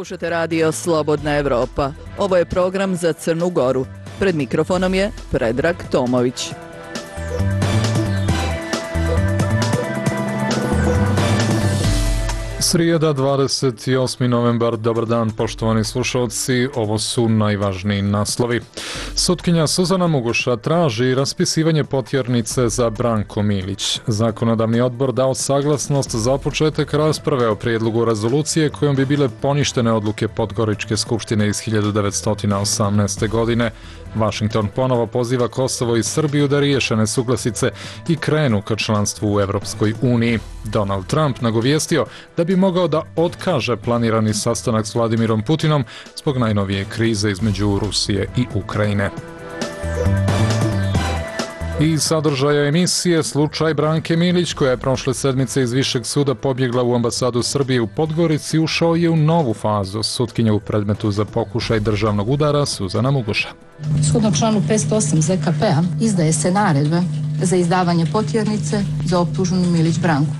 Slušate radio Slobodna Evropa. Ovo je program za Crnu Goru. Pred mikrofonom je Predrag Tomović. Srijeda, 28. novembar, dobar dan poštovani slušalci, ovo su najvažniji naslovi. Sutkinja Suzana Muguša traži raspisivanje potjernice za Branko Milić. Zakonodavni odbor dao saglasnost za početak rasprave o prijedlogu rezolucije kojom bi bile poništene odluke Podgoričke skupštine iz 1918. godine. Washington ponovo poziva Kosovo i Srbiju da riješe nesuglasice i krenu ka članstvu u Evropskoj uniji. Donald Trump nagovijestio da bi mogao da otkaže planirani sastanak s Vladimirom Putinom zbog najnovije krize između Rusije i Ukrajine. I sadržaja emisije slučaj Branke Milić, koja je prošle sedmice iz Višeg suda pobjegla u ambasadu Srbije u Podgorici, ušao je u novu fazu. Sutkinja u predmetu za pokušaj državnog udara Suzana Muguša. Shodno članu 508 ZKP-a izdaje se naredba za izdavanje potjernice za optuženu Milić Branku.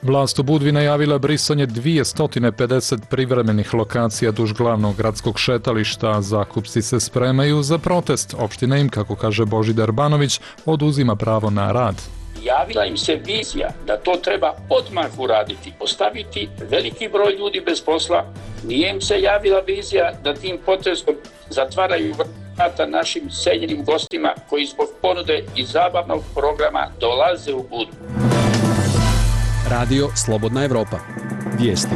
Vlast u Budvi najavila brisanje 250 privremenih lokacija duž glavnog gradskog šetališta. Zakupci se spremaju za protest. Opština im, kako kaže Božidar Banović, oduzima pravo na rad. Javila im se vizija da to treba odmah uraditi, ostaviti veliki broj ljudi bez posla. Nije im se javila vizija da tim potezom zatvaraju vrata našim seljenim gostima koji zbog ponude i zabavnog programa dolaze u Budvu. Radio Slobodna Evropa. Vijesti.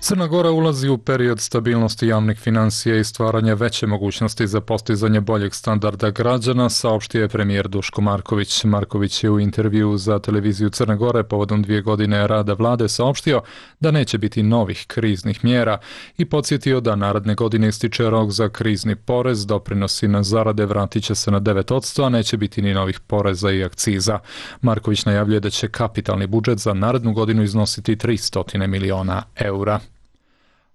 Crna Gora ulazi u period stabilnosti javnih financija i stvaranja veće mogućnosti za postizanje boljeg standarda građana, saopštio je premijer Duško Marković. Marković je u intervjuu za televiziju Crne Gore povodom 2 godine rada vlade saopštio da neće biti novih kriznih mjera i podsjetio da naredne godine ističe rok za krizni porez, doprinosi na zarade vratit će se na 9%, a neće biti ni novih poreza i akciza. Marković najavljuje da će kapitalni budžet za narednu godinu iznositi 300 miliona eura.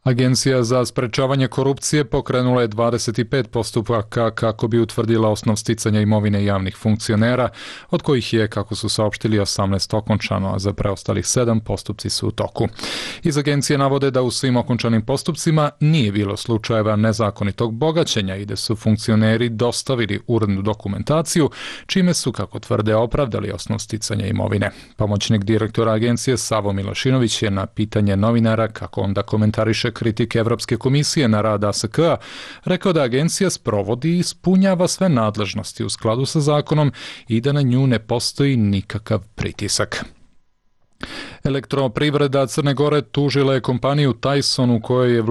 Agencija za sprečavanje korupcije pokrenula je 25 postupaka kako bi utvrdila osnov sticanja imovine javnih funkcionera, od kojih je, kako su saopštili, 18 okončano, a za preostalih 7 postupci su u toku. Iz agencije navode da u svim okončanim postupcima nije bilo slučajeva nezakonitog bogaćenja i da su funkcioneri dostavili urednu dokumentaciju, čime su, kako tvrde, opravdali osnov sticanja imovine. Pomoćnik direktora agencije Savo Milošinović je na pitanje novinara kako onda komentariše kritike Evropske komisije na rad ASK-a rekao da agencija sprovodi i ispunjava sve nadležnosti u skladu sa zakonom i da na nju ne postoji nikakav pritisak. Elektroprivreda Crne Gore tužila je kompaniju Tyson u kojoj je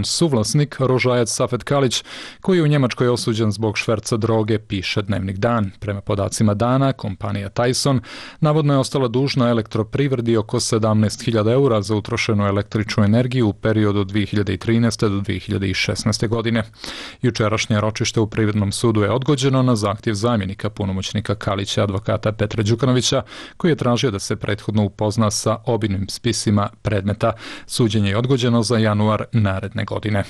suvlasnik Rožajac Safet Kalić, koji je u Njemačkoj osuđen zbog šverca droge, piše Dnevnik Dan. Prema podacima Dana, kompanija Tyson navodno je ostala dužna elektroprivredi oko 17.000 eura za utrošenu električnu energiju u periodu od 2013. do 2016. godine. Jučerašnje ročište u Privrednom sudu je odgođeno na zahtjev zamjenika punomoćnika Kalića, advokata Petra Đukanovića, koji je tražio da se prethodno upozna sa obimnim spisima predmeta. Suđenje je odgođeno za januar naredne godine.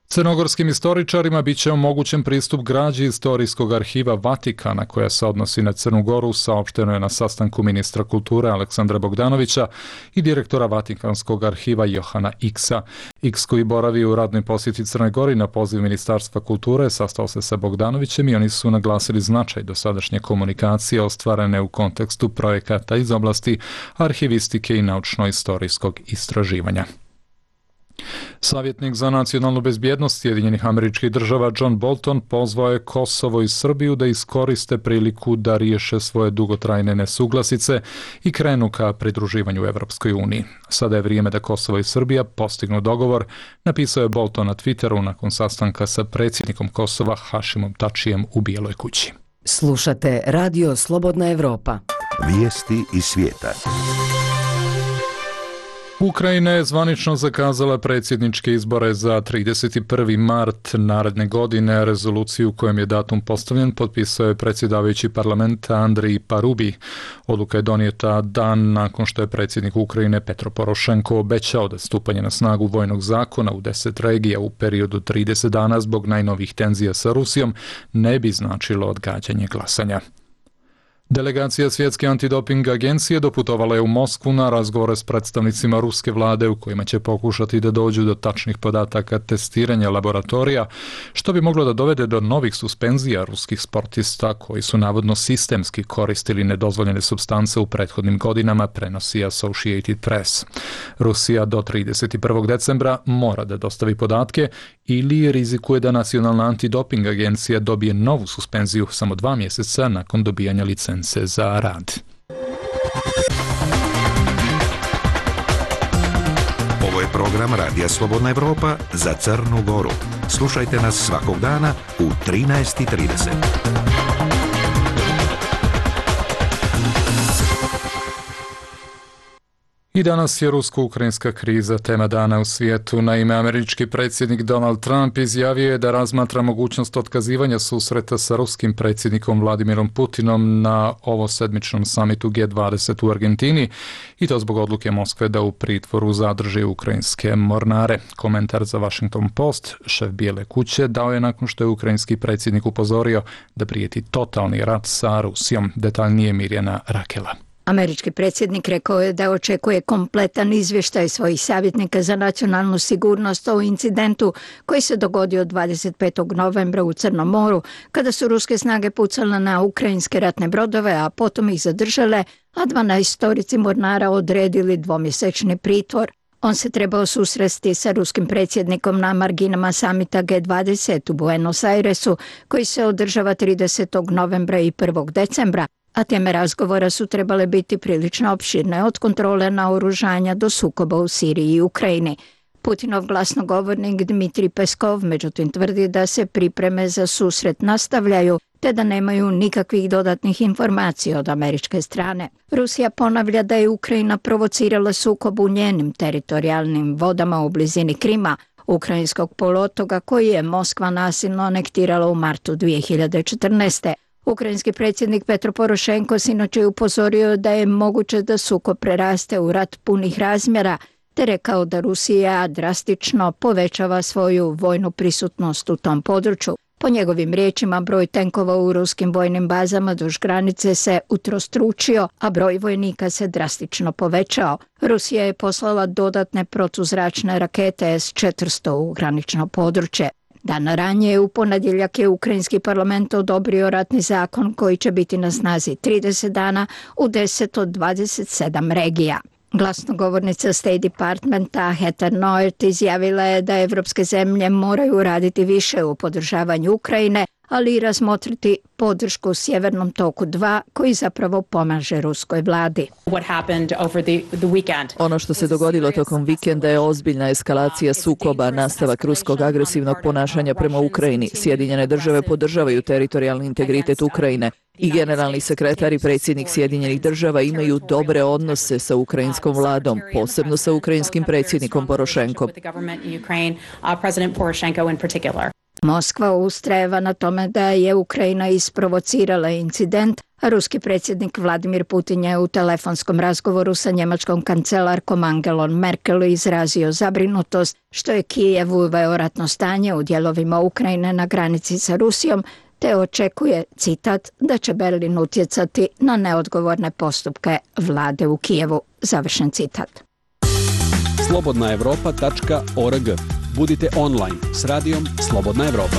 Crnogorskim istoričarima bit će omogućen pristup građi Istorijskog arhiva Vatikana koja se odnosi na Crnu Goru, saopšteno je na sastanku ministra kulture Aleksandra Bogdanovića i direktora Vatikanskog arhiva Johana Iksa. Iks, koji boravi u radnoj posjeti Crnoj Gori na poziv Ministarstva kulture, sastao se sa Bogdanovićem i oni su naglasili značaj dosadašnje komunikacije ostvarene u kontekstu projekata iz oblasti arhivistike i naučno-istorijskog istraživanja. Savjetnik za nacionalnu bezbjednost Sjedinjenih Američkih Država John Bolton pozvao je Kosovo i Srbiju da iskoriste priliku da riješe svoje dugotrajne nesuglasice i krenu ka pridruživanju Evropskoj uniji. Sada je vrijeme da Kosovo i Srbija postignu dogovor, napisao je Bolton na Twitteru nakon sastanka sa predsjednikom Kosova Hašimom Tačijem u Bijeloj kući. Slušate Radio Slobodna Evropa. Vijesti iz svijeta. Ukrajina je zvanično zakazala predsjedničke izbore za 31. mart naredne godine. Rezoluciju kojem je datum postavljen potpisao je predsjedavajući parlamenta Andrij Parubi. Odluka je donijeta dan nakon što je predsjednik Ukrajine Petro Porošenko obećao da stupanje na snagu vojnog zakona u 10 regija u periodu 30 dana zbog najnovih tenzija sa Rusijom ne bi značilo odgađanje glasanja. Delegacija Svjetske antidoping agencije doputovala je u Moskvu na razgovore s predstavnicima ruske vlade u kojima će pokušati da dođu do tačnih podataka testiranja laboratorija, što bi moglo da dovede do novih suspenzija ruskih sportista koji su navodno sistemski koristili nedozvoljene supstance u prethodnim godinama, prenosi Associated Press. Rusija do 31. decembra mora da dostavi podatke ili rizikuje da Nacionalna antidoping agencija dobije novu suspenziju samo 2 mjeseca nakon dobijanja licence za rad. Ovo je program Radija Slobodna Evropa za Crnu Goru. Slušajte nas svakog dana u 13:30. I danas je rusko-ukrajinska kriza tema dana u svijetu. Naime, američki predsjednik Donald Trump izjavio je da razmatra mogućnost otkazivanja susreta sa ruskim predsjednikom Vladimirom Putinom na ovosedmičnom samitu G20 u Argentini i to zbog odluke Moskve da u pritvoru zadrži ukrajinske mornare. Komentar za Washington Post šef Bijele kuće dao je nakon što je ukrajinski predsjednik upozorio da prijeti totalni rat sa Rusijom. Detaljnije Mirjana Rakela. Američki predsjednik rekao je da očekuje kompletan izvještaj svojih savjetnika za nacionalnu sigurnost o incidentu koji se dogodio 25. novembra u Crnom moru, kada su ruske snage pucale na ukrajinske ratne brodove, a potom ih zadržale, a 12 mornara odredili 2-mjesečni pritvor. On se trebao susresti sa ruskim predsjednikom na marginama samita G20 u Buenos Airesu, koji se održava 30. novembra i 1. decembra, a teme razgovora su trebale biti prilično opširne, od kontrole naoružanja do sukoba u Siriji i Ukrajini. Putinov glasnogovornik Dmitrij Peskov međutim tvrdi da se pripreme za susret nastavljaju, te da nemaju nikakvih dodatnih informacija od američke strane. Rusija ponavlja da je Ukrajina provocirala sukob u njenim teritorijalnim vodama u blizini Krima, ukrajinskog poluotoka koji je Moskva nasilno anektirala u martu 2014. Ukrajinski predsjednik Petro Porošenko sinoć je upozorio da je moguće da sukob preraste u rat punih razmjera, te rekao da Rusija drastično povećava svoju vojnu prisutnost u tom području. Po njegovim riječima, broj tenkova u ruskim vojnim bazama duž granice se utrostručio, a broj vojnika se drastično povećao. Rusija je poslala dodatne protuzračne rakete S-400 u granično područje. Dan ranije u ponedjeljak je ukrajinski parlament odobrio ratni zakon koji će biti na snazi 30 dana u 10 od 27 regija. Glasnogovornica State Departmenta Heather Nauert izjavila je da evropske zemlje moraju raditi više u podržavanju Ukrajine, ali i razmotriti podršku Sjevernom toku 2 koji zapravo pomaže ruskoj vladi. Ono što se dogodilo tokom vikenda je ozbiljna eskalacija sukoba, nastavak ruskog agresivnog ponašanja prema Ukrajini. Sjedinjene države podržavaju teritorijalni integritet Ukrajine i generalni sekretar i predsjednik Sjedinjenih država imaju dobre odnose sa ukrajinskom vladom, posebno sa ukrajinskim predsjednikom Porošenkom. Moskva ustrajeva na tome da je Ukrajina isprovocirala incident, a ruski predsjednik Vladimir Putin je u telefonskom razgovoru sa njemačkom kancelarkom Angelom Merkel izrazio zabrinutost što je Kijev uveo ratno stanje u dijelovima Ukrajine na granici sa Rusijom, te očekuje, citat, da će Berlin utjecati na neodgovorne postupke vlade u Kijevu, završen citat. slobodnaevropa.org. Budite online s radijom Slobodna Evropa.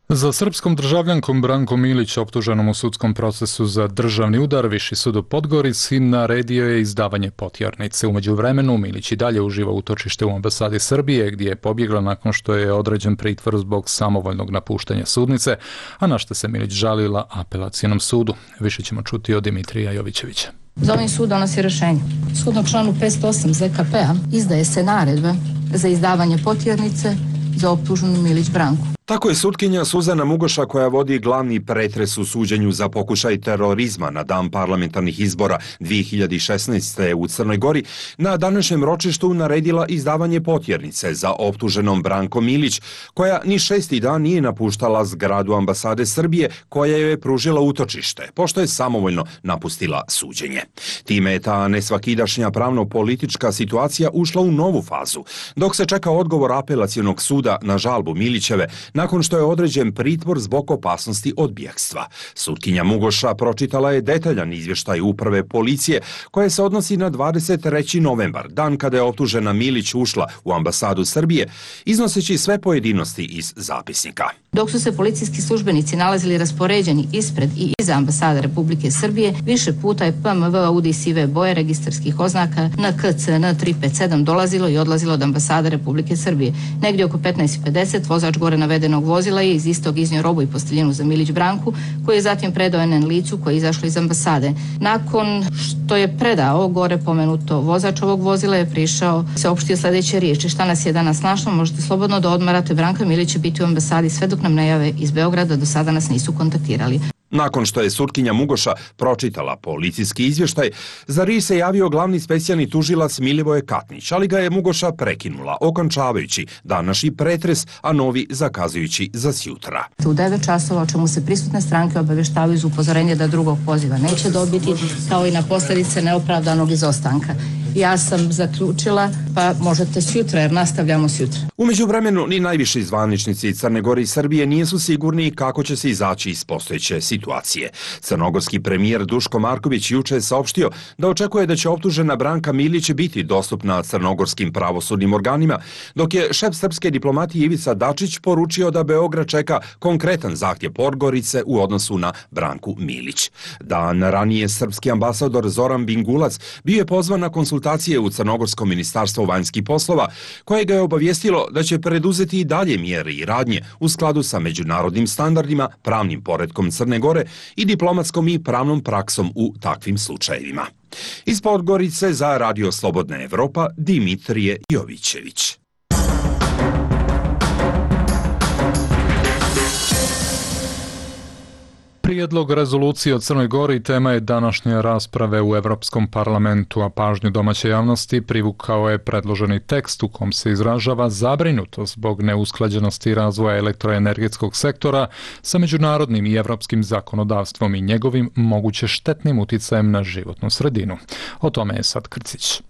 Za srpskom državljankom Brankom Milić, optuženom u sudskom procesu za državni udar, Viši sud u Podgorici naredio je izdavanje potjernice. U međuvremenu Milić i dalje uživa utočište u ambasadi Srbije, gdje je pobjegla nakon što je određen pritvor zbog samovoljnog napuštanja sudnice, a na što se Milić žalila apelacionom sudu. Više ćemo čuti od Dimitrija Jovićevića. Za ovim sud donosi rješenje. Shodno članu 508 ZKP-a izdaje se naredbe za izdavanje potjernice za optuženu Milić Branku. Tako je sutkinja Suzana Mugoša, koja vodi glavni pretres u suđenju za pokušaj terorizma na dan parlamentarnih izbora 2016. u Crnoj Gori, na današnjem ročištu naredila izdavanje potjernice za optuženom Brankom Milić, koja ni 6. dan nije napuštala zgradu ambasade Srbije, koja joj je pružila utočište, pošto je samovoljno napustila suđenje. Time je ta nesvakidašnja pravno-politička situacija ušla u novu fazu. Dok se čeka odgovor apelacionog suda na žalbu Milićeve, nakon što je određen pritvor zbog opasnosti od bjegstva. Sutkinja Mugoša pročitala je detaljan izvještaj uprave policije koje se odnosi na 23. novembar, dan kada je optužena Milić ušla u ambasadu Srbije, iznoseći sve pojedinosti iz zapisnika. Dok su se policijski službenici nalazili raspoređeni ispred i iza ambasade Republike Srbije, više puta je PMV Audi sive boje registarskih oznaka na KCN 357 dolazilo i odlazilo od ambasade Republike Srbije. Negdje oko 15:50 vozač gore navedenog vozila je iz istog iznio robu i posteljinu za Milić Branku, koji je zatim predao NN licu koje je izašlo iz ambasade. Nakon što je predao gore pomenuto vozač ovog vozila je prišao, se opštio sljedeće riječi: šta nas je danas našlo, možete slobodno da odmarate, Branka Milić će biti u ambasadi sve dok nam ne jave iz Beograda, do sada nas nisu kontaktirali. Nakon što je sutkinja Mugoša pročitala policijski izvještaj, za riječ se javio glavni specijalni tužilac Milivoje Katnić, ali ga je Mugoša prekinula, okončavajući današnji pretres, a novi zakazujući za sjutra. U 9 časova, o čemu se prisutne stranke obavještavaju uz upozorenje da drugog poziva neće dobiti, kao i na posljedice neopravdanog izostanka. Ja sam zaključila, pa možete sjutra, jer nastavljamo sjutra. U međuvremenu, ni najviši zvaničnici Crne Gore i Srbije nisu sigurni kako će se izaći iz postojeće situacije. Crnogorski premijer Duško Marković juče je saopštio da očekuje da će optužena Branka Milić biti dostupna crnogorskim pravosudnim organima, dok je šef srpske diplomatije Ivica Dačić poručio da Beograd čeka konkretan zahtjev Podgorice u odnosu na Branku Milić. Dan ranije srpski ambasador Zoran Bingulac bio je pozvan na konsultacije u Crnogorskom ministarstvo vanjskih poslova, koje ga je obavijestilo da će preduzeti i dalje mjere i radnje u skladu sa međunarodnim standardima, pravnim poretkom Crne Gore i diplomatskom i pravnom praksom u takvim slučajevima. Iz Podgorice za Radio Slobodna Evropa, Dimitrije Jovićević. Prijedlog rezolucije o Crnoj Gori tema je današnje rasprave u Evropskom parlamentu, a pažnju domaće javnosti privukao je predloženi tekst u kom se izražava zabrinutost zbog neusklađenosti razvoja elektroenergetskog sektora sa međunarodnim i evropskim zakonodavstvom i njegovim moguće štetnim uticajem na životnu sredinu. O tome je Sad Krcić.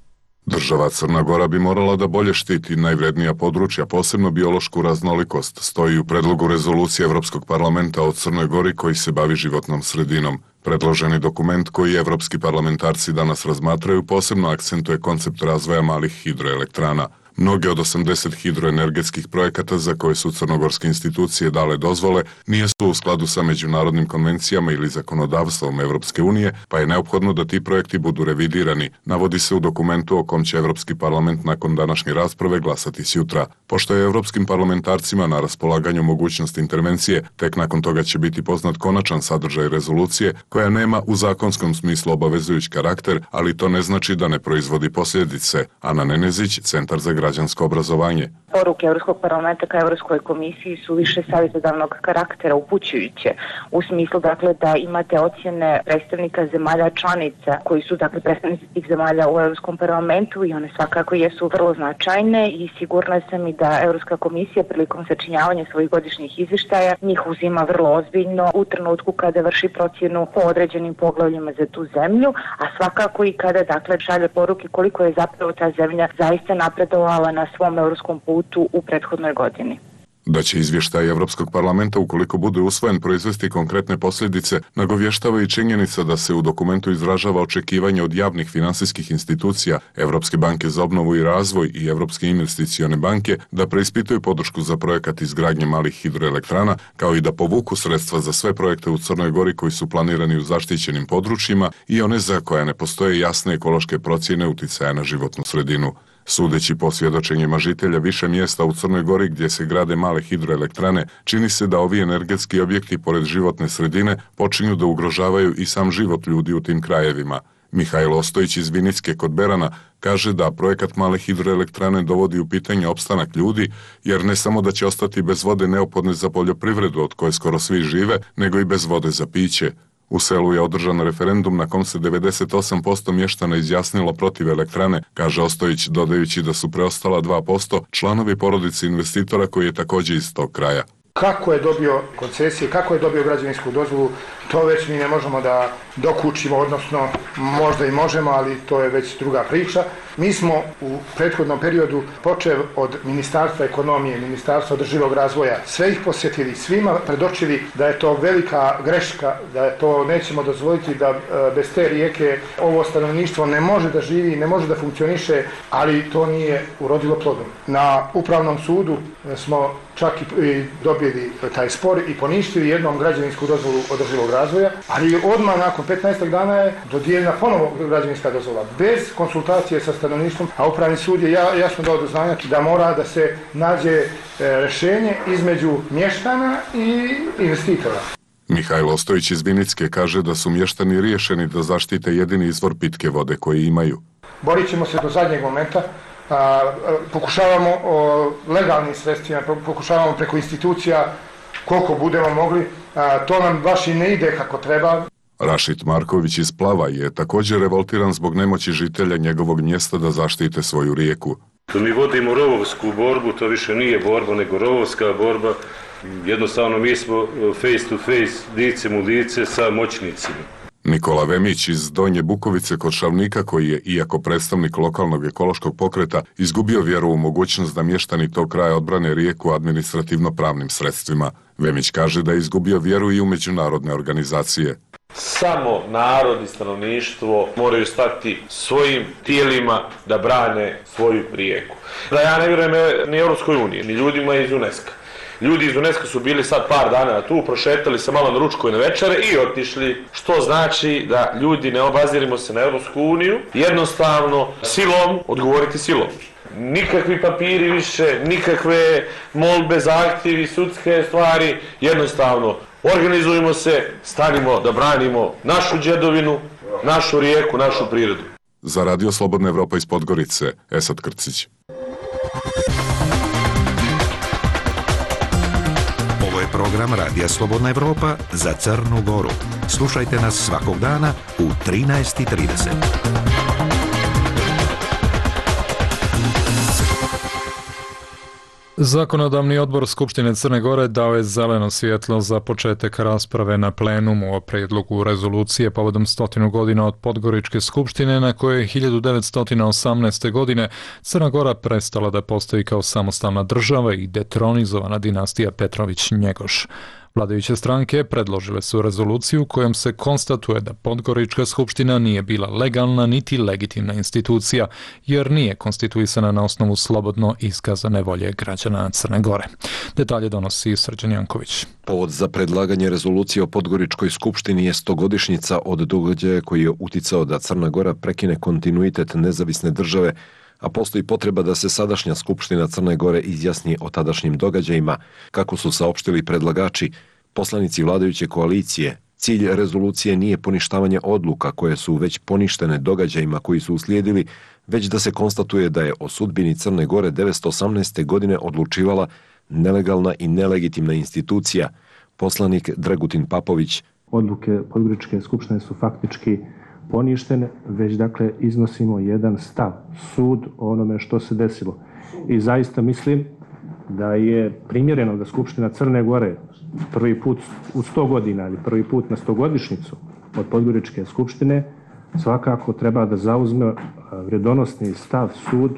Država Crna Gora bi morala da bolje štiti najvrednija područja, posebno biološku raznolikost, stoji u predlogu rezolucije Evropskog parlamenta o Crnoj Gori koji se bavi životnom sredinom. Predloženi dokument koji evropski parlamentarci danas razmatraju posebno akcentuje koncept razvoja malih hidroelektrana. Mnoge od 80 hidroenergetskih projekata za koje su crnogorske institucije dale dozvole nisu u skladu sa međunarodnim konvencijama ili zakonodavstvom Evropske unije, pa je neophodno da ti projekti budu revidirani, navodi se u dokumentu o kom će Evropski parlament nakon današnje rasprave glasati sjutra. Pošto je evropskim parlamentarcima na raspolaganju mogućnost intervencije, tek nakon toga će biti poznat konačan sadržaj rezolucije, koja nema u zakonskom smislu obavezujući karakter, ali to ne znači da ne proizvodi posljedice. Ana Nenezić, Centar za građansko obrazovanje. Poruke Europskog parlamenta ka Europskoj komisiji su više savjetodavnog karaktera, upućujuće, u smislu dakle da imate ocjene predstavnika zemalja članica koji su dakle predstavnici tih zemalja u Europskom parlamentu i one svakako jesu vrlo značajne i sigurna sam i da Europska komisija prilikom sačinjavanja svojih godišnjih izvještaja njih uzima vrlo ozbiljno u trenutku kada vrši procjenu po određenim poglavljima za tu zemlju, a svakako i kada dakle šalje poruke koliko je zapravo ta zemlja zaista napredovala na svom europskom putu u prethodnoj godini. Da će izvještaj Evropskog parlamenta, ukoliko bude usvojen, proizvesti konkretne posljedice, nagovještava i činjenica da se u dokumentu izražava očekivanje od javnih finansijskih institucija, Evropske banke za obnovu i razvoj i Evropske investicione banke da preispituju podršku za projekat izgradnje malih hidroelektrana, kao i da povuku sredstva za sve projekte u Crnoj Gori koji su planirani u zaštićenim područjima i one za koje ne postoje jasne ekološke procjene uticaja na životnu sredinu. Sudeći po svjedočenjima žitelja više mjesta u Crnoj Gori gdje se grade male hidroelektrane, čini se da ovi energetski objekti pored životne sredine počinju da ugrožavaju i sam život ljudi u tim krajevima. Mihajlo Ostojić iz Vinicke kod Berana kaže da projekat male hidroelektrane dovodi u pitanje opstanak ljudi, jer ne samo da će ostati bez vode neophodne za poljoprivredu od koje skoro svi žive, nego i bez vode za piće. U selu je održan referendum na kom se 98% mještana izjasnilo protiv elektrane, kaže Ostojić, dodajući da su preostala 2% članovi porodice investitora koji je također iz tog kraja. Kako je dobio koncesije, kako je dobio građevinsku dozvolu, to već mi ne možemo da dokučimo, odnosno možda i možemo, ali to je već druga priča. Mi smo u prethodnom periodu počeli od Ministarstva ekonomije, Ministarstva održivog razvoja, sve ih posjetili, svima predočili da je to velika greška, da je to nećemo dozvoliti, da bez te rijeke ovo stanovništvo ne može da živi, ne može da funkcioniše, ali to nije urodilo plodom. Na Upravnom sudu smo čak i dobili taj spor i poništili jednom građevinsku dozvolu održivog razvoja, ali odmah nakon 15 dana je dodijeljena ponovo građevinska dozvola, bez konsultacije sa stanovništvom, a Upravni sud je jasno dao do znanja da mora da se nađe rješenje između mještana i investitora. Mihajlo Ostojić iz Vinicke kaže da su mještani riješeni da zaštite jedini izvor pitke vode koji imaju. Borit ćemo se do zadnjeg momenta. Pokušavamo legalnim sredstvima, pokušavamo preko institucija koliko budemo mogli, to nam baš i ne ide kako treba. Rašid Marković iz Plava je također revoltiran zbog nemoći žitelja njegovog mjesta da zaštite svoju rijeku. Mi vodimo rovovsku borbu, to više nije borba nego rovovska borba. Jednostavno mi smo face to face, licem u lice sa moćnicima. Nikola Vemić iz Donje Bukovice kod Šavnika, koji je, iako predstavnik lokalnog ekološkog pokreta, izgubio vjeru u mogućnost da mještani tog kraja odbrane rijeku administrativno-pravnim sredstvima. Vemić kaže da je izgubio vjeru i u međunarodne organizacije. Samo narod i stanovništvo moraju stati svojim tijelima da brane svoju rijeku. Da ja ne vjerujem ni Europskoj uniji, ni ljudima iz UNESCO. Ljudi iz UNESCO su bili sad par dana tu, prošetali se malo na ručku i na večere i otišli, što znači da ljudi ne obazirimo se na Europsku uniju, jednostavno silom odgovoriti silom. Nikakvi papiri više, nikakve molbe, zahtjevi, sudske stvari, jednostavno organizujemo se, stanimo da branimo našu djedovinu, našu rijeku, našu prirodu. Za Radio Slobodna Evropa iz Podgorice, Esad Krcić. Program Radija Slobodna Evropa za Crnu Goru. Slušajte nas svakog dana u 13:30. Zakonodavni odbor Skupštine Crne Gore dao je zeleno svjetlo za početak rasprave na plenumu o prijedlogu rezolucije povodom 100 godina od Podgoričke skupštine na kojoj je 1918. godine Crna Gora prestala da postoji kao samostalna država i detronizovana dinastija Petrović-Njegoš. Vladajuće stranke predložile su rezoluciju kojom se konstatuje da Podgorička skupština nije bila legalna niti legitimna institucija, jer nije konstituisana na osnovu slobodno iskazane volje građana Crne Gore. Detalje donosi Srđan Janković. Povod za predlaganje rezolucije o Podgoričkoj skupštini je 100-godišnjica od događaja koji je uticao da Crna Gora prekine kontinuitet nezavisne države, a postoji potreba da se sadašnja Skupština Crne Gore izjasni o tadašnjim događajima. Kako su saopštili predlagači, poslanici vladajuće koalicije, cilj rezolucije nije poništavanje odluka koje su već poništene događajima koji su uslijedili, već da se konstatuje da je o sudbini Crne Gore 1918. godine odlučivala nelegalna i nelegitimna institucija. Poslanik Dragutin Papović. Odluke Podgoričke skupštine su faktički poništene, već dakle iznosimo jedan stav, sud o onome što se desilo. I zaista mislim da je primjereno da Skupština Crne Gore prvi put u 100 godina ili prvi put na 100-godišnjicu od Podgoričke skupštine svakako treba da zauzme vredonosni stav, sud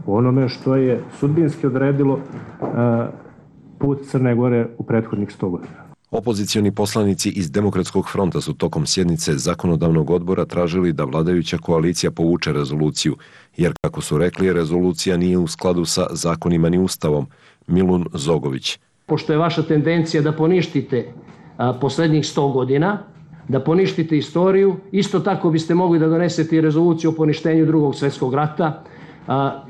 o onome što je sudbinski odredilo put Crne Gore u prethodnih 100 godina. Opozicioni poslanici iz Demokratskog fronta su tokom sjednice zakonodavnog odbora tražili da vladajuća koalicija povuče rezoluciju, jer kako su rekli, rezolucija nije u skladu sa zakonima ni ustavom. Milun Zogović. Pošto je vaša tendencija da poništite posljednjih 100 godina, da poništite istoriju, isto tako biste mogli da donesete i rezoluciju o poništenju Drugog svjetskog rata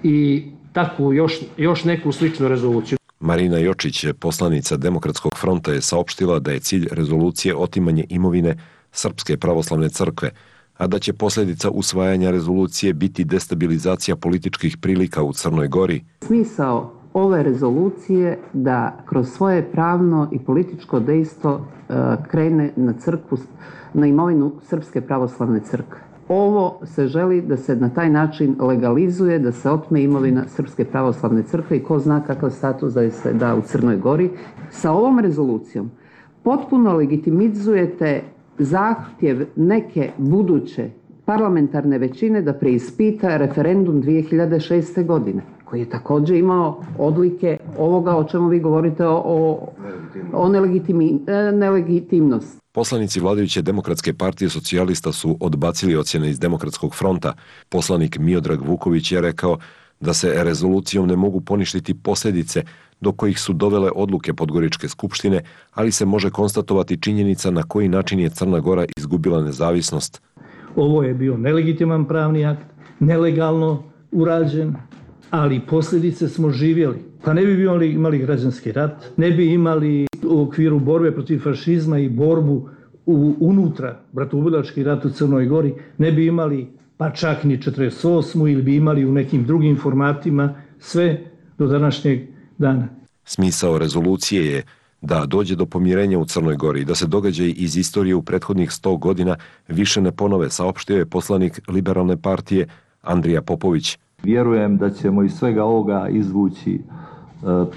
i takvu još neku sličnu rezoluciju. Marina Jočić, poslanica Demokratskog fronta, je saopštila da je cilj rezolucije otimanje imovine Srpske pravoslavne crkve, a da će posljedica usvajanja rezolucije biti destabilizacija političkih prilika u Crnoj Gori. Smisao ove rezolucije da kroz svoje pravno i političko dejstvo krene na crkvu, na imovinu Srpske pravoslavne crkve. ovo se želi da se na taj način legalizuje, da se otme imovina Srpske pravoslavne crkve i ko zna kakav status da se da u Crnoj Gori. Sa ovom rezolucijom potpuno legitimizujete zahtjev neke buduće parlamentarne većine da preispita referendum 2006. godine, koji je također imao odlike ovoga o čemu vi govorite o nelegitimnosti. Poslanici vladajuće Demokratske partije socijalista su odbacili ocjene iz Demokratskog fronta. Poslanik Miodrag Vuković je rekao da se rezolucijom ne mogu poništiti posljedice do kojih su dovele odluke Podgoričke skupštine, ali se može konstatovati činjenica na koji način je Crna Gora izgubila nezavisnost. Ovo je bio nelegitiman pravni akt, nelegalno urađen, ali posljedice smo živjeli. Pa ne bi imali građanski rat, ne bi imali u okviru borbe protiv fašizma i borbu unutra, bratoubilački rat u Crnoj Gori, ne bi imali pa čak ni 48. ili bi imali u nekim drugim formatima sve do današnjeg dana. Smisao rezolucije je da dođe do pomirenja u Crnoj Gori i da se događaji iz istorije u prethodnih 100 godina više ne ponove, saopštio je poslanik Liberalne partije Andrija Popović. Vjerujem da ćemo iz svega ovoga izvući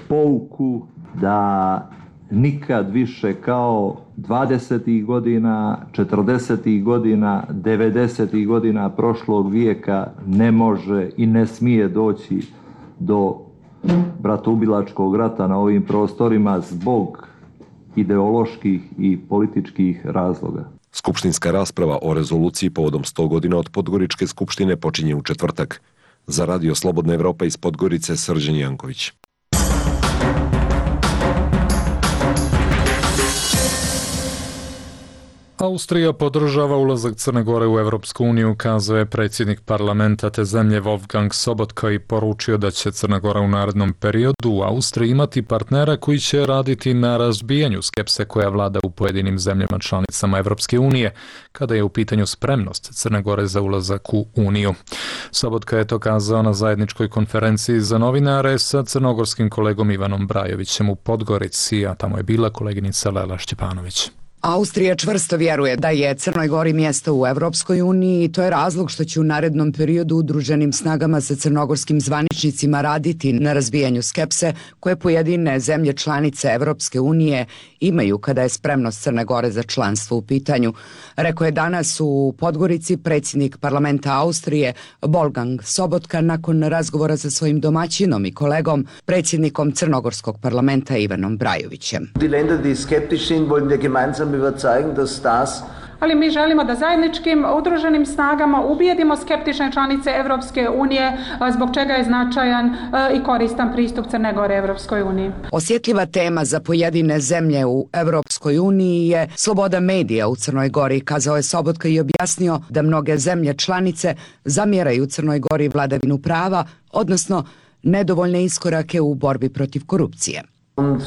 pouku da nikad više kao 20. godina, 40. godina, 90. godina prošlog vijeka ne može i ne smije doći do bratoubilačkog rata na ovim prostorima zbog ideoloških i političkih razloga. Skupštinska rasprava o rezoluciji povodom 100 godina od Podgoričke skupštine počinje u četvrtak. Za Radio Slobodna Evropa iz Podgorice, Srđan Janković. Austrija podržava ulazak Crne Gore u Evropsku uniju, kazao je predsjednik parlamenta te zemlje Wolfgang Sobotka i poručio da će Crna Gora u narednom periodu u Austriji imati partnera koji će raditi na razbijanju skepse koja vlada u pojedinim zemljama članicama Evropske unije, kada je u pitanju spremnost Crne Gore za ulazak u Uniju. Sobotka je to kazao na zajedničkoj konferenciji za novinare sa crnogorskim kolegom Ivanom Brajovićem u Podgorici, a tamo je bila koleginica Lela Šćepanović. Austrija čvrsto vjeruje da je Crnoj Gori mjesto u Evropskoj uniji i to je razlog što će u narednom periodu udruženim snagama sa crnogorskim zvaničnicima raditi na razbijanju skepse koje pojedine zemlje članice Evropske unije imaju kada je spremnost Crne Gore za članstvo u pitanju. Rekao je danas u Podgorici predsjednik parlamenta Austrije Wolfgang Sobotka nakon razgovora sa svojim domaćinom i kolegom, predsjednikom crnogorskog parlamenta Ivanom Brajovićem. Die Länder, die skeptisch sind, wollen wir gemeinsam überzeugen, dass das ali mi želimo da zajedničkim udruženim snagama ubijedimo skeptične članice Evropske unije, zbog čega je značajan i koristan pristup Crne Gore Evropskoj uniji. Osjetljiva tema za pojedine zemlje u Evropskoj uniji je sloboda medija u Crnoj Gori, kazao je Sobotka i objasnio da mnoge zemlje članice zamjeraju Crnoj Gori vladavinu prava, odnosno nedovoljne iskorake u borbi protiv korupcije. Und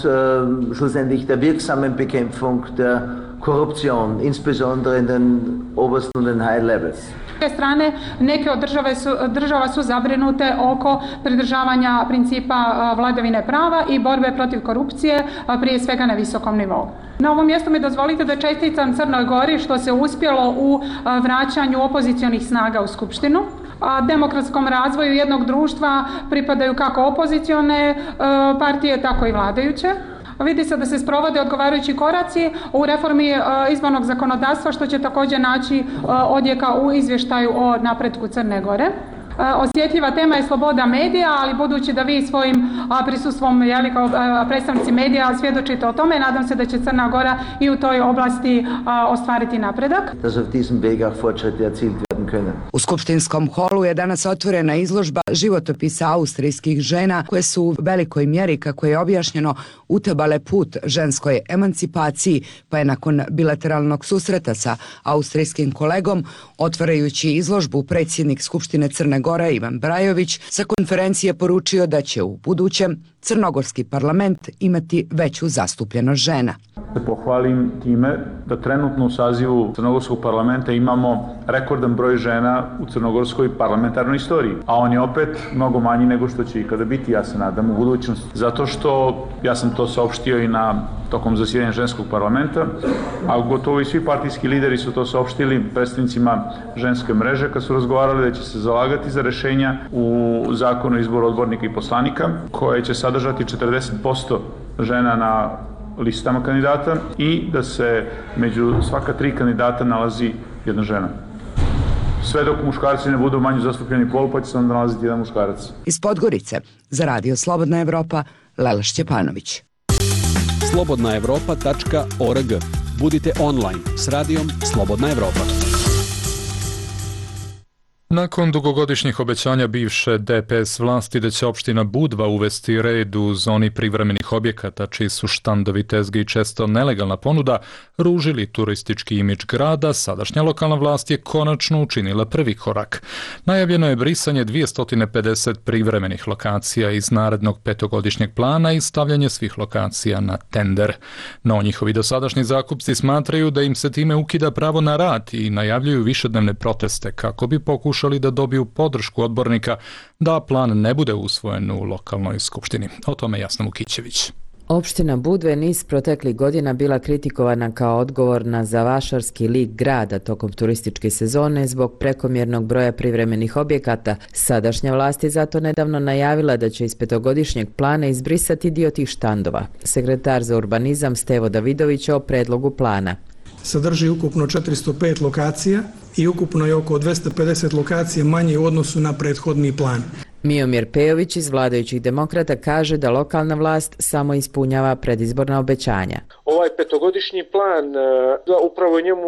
schlussendlich der wirksamen Bekämpfung der Korruption, insbesondere in den obersten und den high levels. S druge strane, neke od država su zabrinute oko pridržavanja principa vladavine prava i borbe protiv korupcije, prije svega na visokom nivou. Na ovom mjestu mi dozvolite da čestitam Crnoj Gori što se uspjelo u vraćanju opozicionih snaga u Skupštinu. Demokratskom razvoju jednog društva pripadaju kako opozicione partije, tako i vladajuće. Vidi se da se sprovode odgovarajući koraci u reformi izbornog zakonodavstva, što će također naći odjeka u izvještaju o napretku Crne Gore. Osjetljiva tema je sloboda medija, ali budući da vi svojim prisustvom kao predstavnici medija svjedočite o tome, nadam se da će Crna Gora i u toj oblasti ostvariti napredak. U skupštinskom holu je danas otvorena izložba životopisa austrijskih žena koje su u velikoj mjeri, kako je objašnjeno, utabale put ženskoj emancipaciji, pa je nakon bilateralnog susreta sa austrijskim kolegom, otvarajući izložbu, predsjednik Skupštine Crne Gore Ivan Brajović sa konferencije poručio da će u budućem crnogorski parlament imati veću zastupljenost žena. Da pohvalim time da trenutno u sazivu crnogorskog parlamenta imamo rekordan broj žena u crnogorskoj parlamentarnoj istoriji, a on je opet mnogo manji nego što će ikada biti, ja se nadam, u budućnosti. Zato što, ja sam to saopštio i tokom zasjedanja ženskog parlamenta, a gotovo i svi partijski lideri su to saopštili predstavnicima ženske mreže kad su razgovarali da će se zalagati za rešenja u zakonu o izboru odbornika i poslanika, koje će sadržati 40% žena na listama kandidata i da se među svaka 3 kandidata nalazi jedna žena. Sve dok muškarci ne budu manje zastupljeni pol, pa će se onda nalaziti jedan muškarac. Iz Podgorice, za Radio Slobodna Evropa, Lela Šćepanović. slobodnaevropa.org. Budite online s radijom Slobodna Evropa. Nakon dugogodišnjih obećanja bivše DPS vlasti da će opština Budva uvesti red u zoni privremenih objekata, čiji su štandovi, tezge i često nelegalna ponuda ružili turistički imidž grada, sadašnja lokalna vlast je konačno učinila prvi korak. Najavljeno je brisanje 250 privremenih lokacija iz narednog 5-godišnjeg plana i stavljanje svih lokacija na tender. No njihovi dosadašnji zakupci smatraju da im se time ukida pravo na rad i najavljuju višednevne proteste kako bi pokušali da dobiju podršku odbornika da plan ne bude usvojen u lokalnoj skupštini. O tome Jasna Vukićević. Opština Budva je niz proteklih godina bila kritikovana kao odgovorna za vašarski lik grada tokom turističke sezone zbog prekomjernog broja privremenih objekata. Sadašnja vlast je zato nedavno najavila da će iz 5-godišnjeg plana izbrisati dio tih štandova. Sekretar za urbanizam Stevo Davidović o predlogu plana. Sadrži ukupno 405 lokacija i ukupno je oko 250 lokacija manje u odnosu na prethodni plan. Miomir Pejović iz vladajućih demokrata kaže da lokalna vlast samo ispunjava predizborna obećanja. Ovaj 5-godišnji plan, upravo je njemu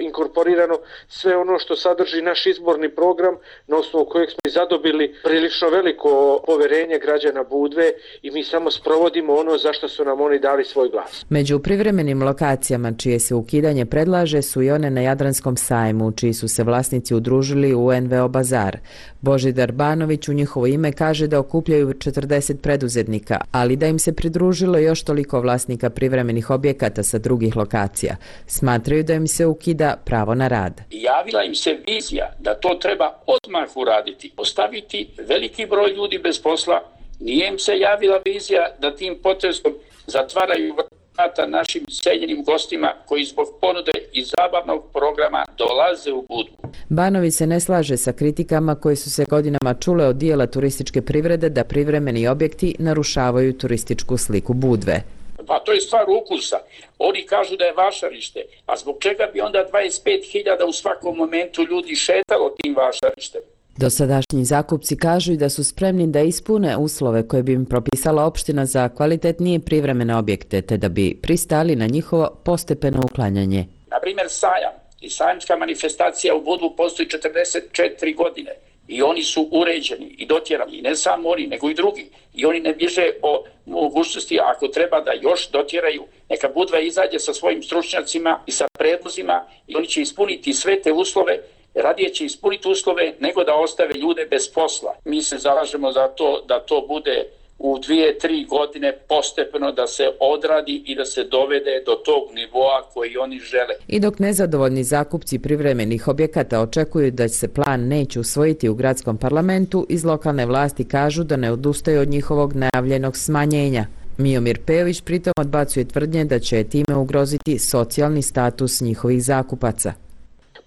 inkorporirano sve ono što sadrži naš izborni program, na osnovu kojeg smo i zadobili prilično veliko poverenje građana Budve i mi samo sprovodimo ono za što su nam oni dali svoj glas. Među privremenim lokacijama čije se ukidanje predlaže su i one na Jadranskom sajmu, čiji su se vlasnici udružili u NVO Bazar. Božidar Banović u njihovo ime kaže da okupljaju 40 preduzetnika, ali da im se pridružilo još toliko vlasnika privremenih objekata sa drugih lokacija. Smatraju da im se ukida pravo na rad. Javila im se vizija da to treba odmah uraditi, ostaviti veliki broj ljudi bez posla. Nije im se javila vizija da tim potezom zatvaraju vrata našim seljenim gostima koji zbog ponude i zabavnog programa dolaze u Budvu. Banović se ne slaže sa kritikama koje su se godinama čule od dijela turističke privrede da privremeni objekti narušavaju turističku sliku Budve. Pa to je stvar ukusa. Oni kažu da je vašarište, a zbog čega bi onda 25.000 u svakom momentu ljudi šetalo tim vašarištem? Dosadašnji zakupci kažu i da su spremni da ispune uslove koje bi im propisala opština za kvalitetnije privremene objekte, te da bi pristali na njihovo postepeno uklanjanje. Na primjer, sajam i sajamska manifestacija u Budvu postoji 44 godine i oni su uređeni i dotjerani, i ne samo oni, nego i drugi. I oni ne bježe o mogućnosti, ako treba da još dotjeraju, neka Budva izađe sa svojim stručnjacima i sa predlozima i oni će ispuniti sve te uslove. Radije će ispuniti uslove nego da ostave ljude bez posla. Mi se zalažemo za to da to bude u 2-3 godine postepeno da se odradi i da se dovede do tog nivoa koji oni žele. I dok nezadovoljni zakupci privremenih objekata očekuju da se plan neće usvojiti u gradskom parlamentu, iz lokalne vlasti kažu da ne odustaju od njihovog najavljenog smanjenja. Miomir Pejović pritom odbacuje tvrdnje da će time ugroziti socijalni status njihovih zakupaca.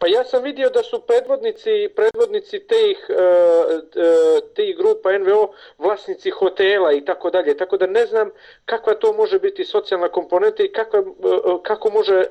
Pa ja sam vidio da su predvodnici tih grupa NVO vlasnici hotela i tako dalje, tako da ne znam kakva to može biti socijalna komponenta i kako može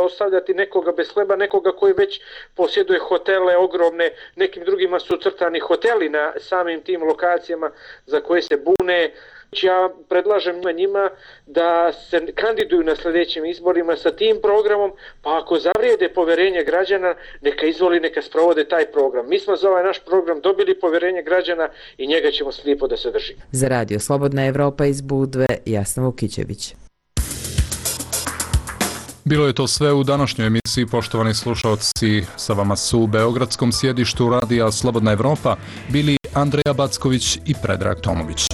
ostavljati nekoga bez hleba, nekoga koji već posjeduje hotele ogromne, nekim drugima su crtani hoteli na samim tim lokacijama za koje se bune. Ja predlažem njima da se kandiduju na sljedećim izborima sa tim programom, pa ako zavrijede poverenje građana, neka izvoli, neka sprovode taj program. Mi smo za ovaj naš program dobili poverenje građana i njega ćemo slijepo da se držimo. Za Radio Slobodna Evropa iz Budve, Jasna Vukićević. Bilo je to sve u današnjoj emisiji, poštovani slušalci. Sa vama su u beogradskom sjedištu Radija Slobodna Evropa bili Andreja Backović i Predrag Tomović.